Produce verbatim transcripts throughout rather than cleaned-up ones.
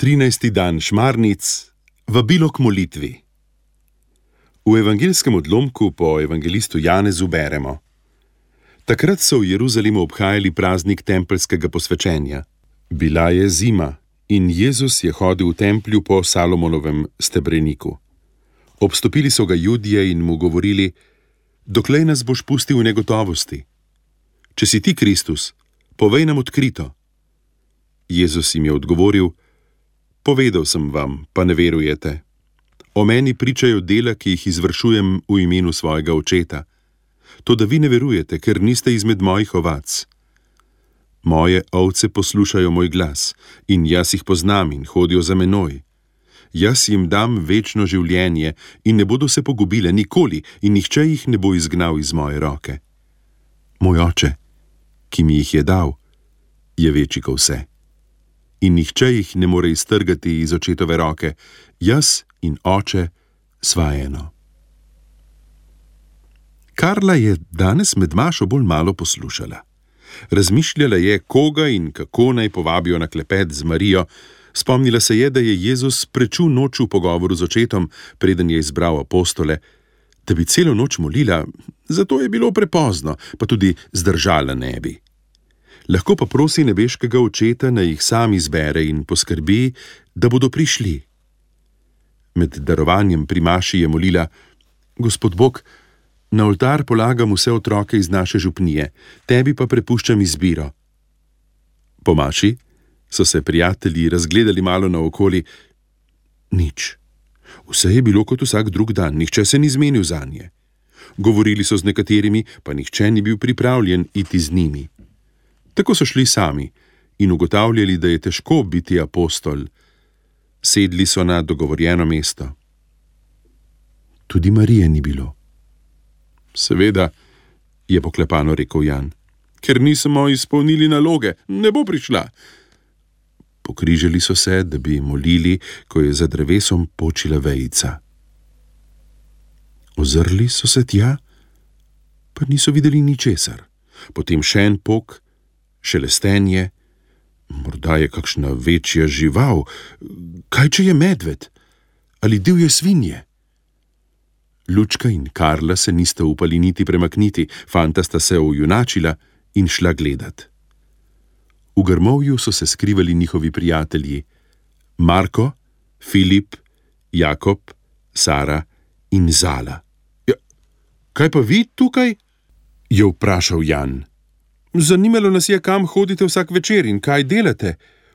trinajsti dan šmarnic, vabilo k molitvi. V evangeljskem odlomku po evangelistu Janezu beremo: Takrat so v Jeruzalemu obhajali praznik tempeljskega posvečenja. Bila je zima in Jezus je hodil v templju po Salomonovem stebreniku. Obstopili so ga Judje in mu govorili: Doklej nas boš pustil v negotovosti? Če si ti Kristus, povej nam odkrito. Jezus jim je odgovoril: Povedal sem vam, pa ne verujete. O meni pričajo dela, ki jih izvršujem v imenu svojega očeta. Toda vi ne verujete, ker niste izmed mojih ovac. Moje ovce poslušajo moj glas in jaz jih poznam in hodijo za menoj. Jaz jim dam večno življenje in ne bodo se pogubile nikoli in nihče jih ne bo izgnal iz moje roke. Moj oče, ki mi jih je dal, je večji kot vse. In nihče jih ne more iztrgati iz očetove roke. Jaz in oče sva eno. Karla je danes med mašo bolj malo poslušala. Razmišljala je, koga in kako naj povabijo na klepet z Marijo. Spomnila se je, da je Jezus prečul noč v pogovoru z očetom, preden je izbral apostole. Da bi celo noč molila, zato je bilo prepozno, pa tudi zdržala ne bi. Lahko pa prosi nebeškega očeta, naj jih sam izbere in poskrbi, da bodo prišli. Med darovanjem pri maši je molila: Gospod Bog, na oltar polagam vse otroke iz naše župnije, tebi pa prepuščam izbiro. Po maši so se prijatelji razgledali malo naokoli. Nič. Vse je bilo kot vsak drug dan, nihče se ni zmenil zanje. Govorili so z nekaterimi, pa nihče ni bil pripravljen iti z njimi. Tako so šli sami in ugotavljali, da je težko biti apostol. Sedli so na dogovorjeno mesto. Tudi Marije ni bilo. Seveda, je poklepano rekel Jan, ker nismo izpolnili naloge, ne bo prišla. Pokrižali so se, da bi molili, ko je za drevesom počila vejica. Ozrli so se tja, pa niso videli ničesar. Potem še en pok, šelestenje, morda je kakšna večja žival, kaj če je medved ali divje svinje. Lučka in Karla se nista upali niti premakniti, fanta sta se ojunačila in šla gledat. V grmovju so se skrivali njihovi prijatelji: Marko, Filip, Jakob, Sara in Zala. Ja, kaj pa vi tukaj? Je vprašal Jan. Zanimalo nas je, kam hodite vsak večer in kaj delate.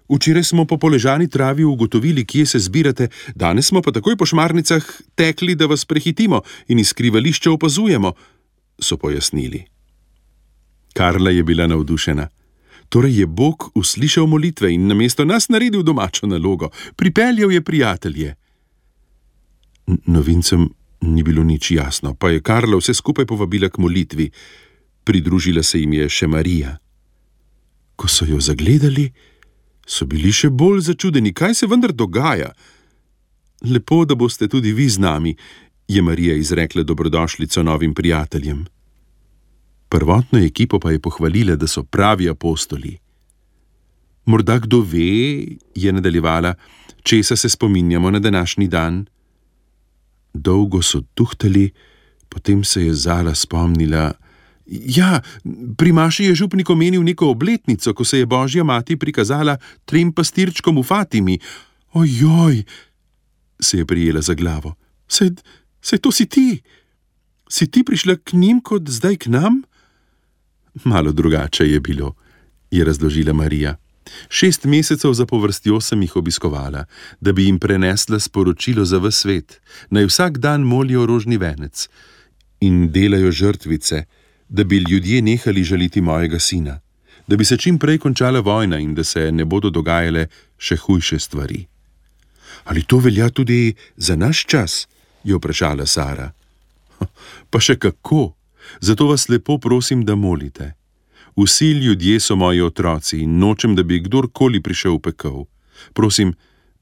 Včeraj smo po poležani travi ugotovili, kje se zbirate, danes smo pa takoj po šmarnicah tekli, da vas prehitimo in iz skrivališča opazujemo, so pojasnili. Karla je bila navdušena. Torej je Bog uslišal molitve in namesto nas naredil domačo nalogo. Pripeljal je prijatelje. Novincem ni bilo nič jasno, pa je Karla vse skupaj povabila k molitvi. Pridružila se jim je še Marija. Ko so jo zagledali, so bili še bolj začudeni, kaj se vendar dogaja. Lepo, da boste tudi vi z nami, je Marija izrekla dobrodošlico novim prijateljem. Prvotno ekipo pa je pohvalila, da so pravi apostoli. Morda kdo ve, je nadaljevala, česa se spominjamo na današnji dan. Dolgo so tuhtali, potem se je Zala spomnila. Ja, pri maši je župnik omenil neko obletnico, ko se je Božja mati prikazala trem pastirčkom v Fatimi. Ojoj, se je prijela za glavo. Saj, saj to si ti. Si ti prišla k njim kot zdaj k nam? Malo drugače je bilo, je razložila Marija. Šest mesecev zapovrstjo sem jih obiskovala, da bi jim prenesla sporočilo za ves svet, naj vsak dan molijo rožni venec in delajo žrtvice, da bi ljudje nehali žaliti mojega sina, da bi se čim prej končala vojna in da se ne bodo dogajale še hujše stvari. Ali to velja tudi za naš čas? Je vprašala Sara. Pa še kako, zato vas lepo prosim, da molite. Vsi ljudje so moji otroci in nočem, da bi kdorkoli prišel v pekel. Prosim,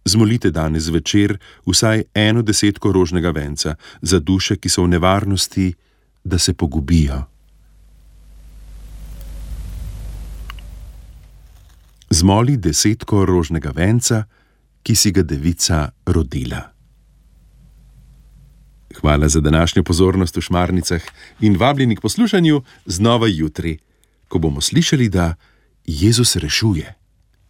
zmolite danes večer vsaj eno desetko rožnega venca za duše, ki so v nevarnosti, da se pogubijo. Zmoli desetko rožnega venca ki si ga devica rodila. Hvala za današnjo pozornost v Šmarnicah in vabljeni k poslušanju znova jutri, ko bomo slišali, da Jezus rešuje.